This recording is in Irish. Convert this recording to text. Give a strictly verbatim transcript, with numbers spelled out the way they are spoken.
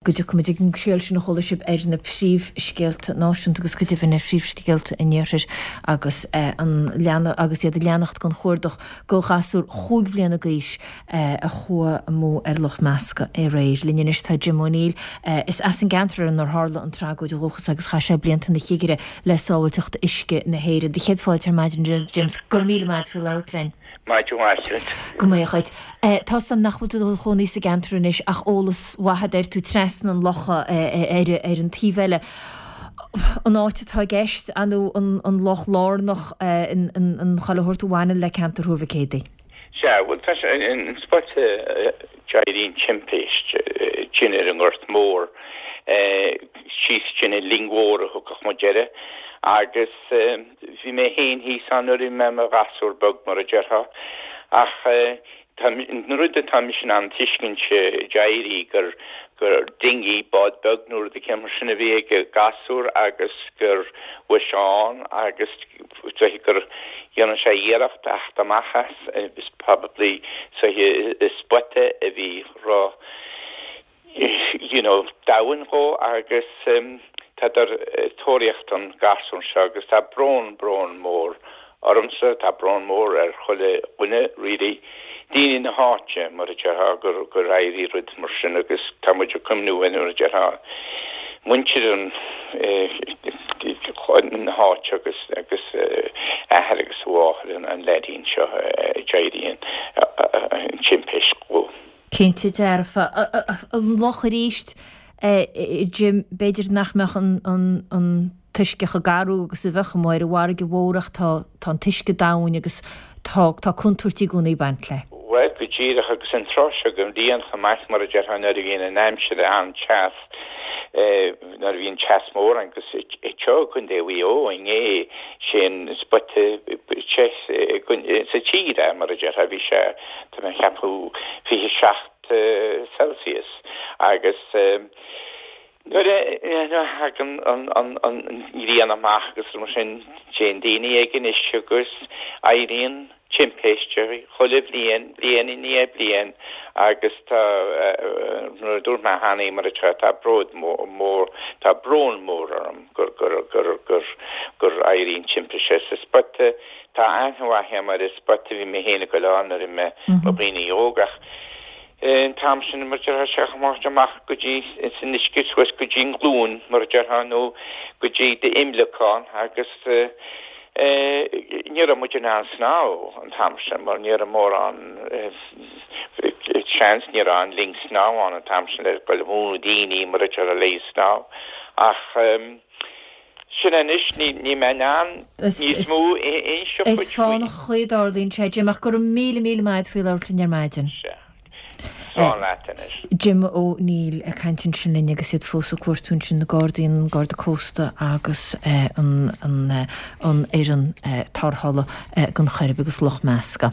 Go dtiocfaimid ag an scéal sin a chuala sibh ar na príomhscéalta náisiúnta agus go deimhin ar phríomhscéalta an iarthair agus an leana agus iad ag leanacht den chuardach do ghasúr chúig bhliana d'aois a chuaigh amú ar Loch Measca aréir. Linn anois tá Jim O'Neill. Is as an gceantar inar tharla an tragóid ó dhúchas agus chaith sé blianta ina chigire le Sábháilteacht Uisce na hÉireann. Do chéad fáilte ar maidin, Jim, go raibh míle maith faoi labhairt linn. Maidin mhaith duit. Go mbeadh duit. Tá 's a'm nach bhfuil tú i do chónaí sa gceantar anois ach eolas mhaith agat air, tú trasna an locha ar ar an taobh eile. An áit atá i gceist, nó an loch lárnach an chuile shórt a bhaineann le ceantar Thuar Mhic Éadaigh? Sea, bhuel tá sé an spota a d'éirigh an timpist sin ar an nGort Mór, síos sin an Linn Mhór a thugadh muid air agus bhí mé féin thíos ann nuair a bhí mé i mo ghasúr beag, mar a déarfá. Ach tá an rud atá mise in ann tuiscint, d'éirigh gur gur dinghy, bád beag nó rud eicínt mar sin a bhí ag an gasúr agus gur chuaigh sé ann agus gur dhéanadh sé iarracht theacht amach as, is probably sa spota a bhí ró you know, domhain dhó agus tádar ag tóraíocht an gasúr seo agus tá brón, brón mór ormsa, tá brón mór ar chuile dhuine really, daoine na háite mar a déarfá gur gur éirigh rud mar sin agus tá muid ag cuimhniú ar mar a déarfá muintir an na háite agus agus athair agus mháthair an an leaidín seo a d'éirigh an timpist dhó. Cinnte dearfa. An loch arís, Jim, b'fhéidir nach mbeadh an t-uisce chomh garbh agus a bheadh amuigh ar an bhfarraige mhór ach tá an t-uisce domhain agus tá tá contúirtí i gcónaí ag baint leis. Bhuel, go díreach agus an tráth seo den bhliain chomh maith mar a déarfá nuair a bhíonn an aimsir an-teas, nuair a bhíonn teas mór ann agus anseo i gContae Mhaigh Eo inné, sé an spota te sa tír é mar a déarfá, bhí sé tá mé ag ceapadh fiche seacht Celsius agus nuair a thagann an ghrian amach agus mar sin téann daoine ag an uisce agus éiríonn timpiste chuile bhliain, bliain i ndiaidh bliain agus tá mar a dúirt mé cheana mar atá tá bród mór tá brón mór orm gur gur gur gur gur éiríonn timpiste sa spota tá aithne mhaith agam ar an spota bhí mé féin ag dul ann nuair a bhí mé i mo dhaoine óg ach an t-am sin mar déarfá sé amach amach go dtí san uisce suas go dtí an ghlúin mar a déarfá nó go dtí d'imleacán agus ní raibh muid in ann snámh an t-am sin mar ní raibh mórán seans ní raibh an linn snámh ann an t-am sin le go múineadh daoine mar a déarfá le snámh ach sin anois ní ní mé in ann níos mó a inseacht Is duit faoi. fánach an chaoi a dtarlaíonn sé, Jim, ach go raibh míle míle maith agat faoi labhairt linn ar maidin. Sea. Slán leat anois. Jim O'Neill ag caint ansin linn agus iad fós ag cuartú ansin na Gardaí, an Garda Cósta agus an an an fhoireann tarrthála don Choirib agus Loch Measca.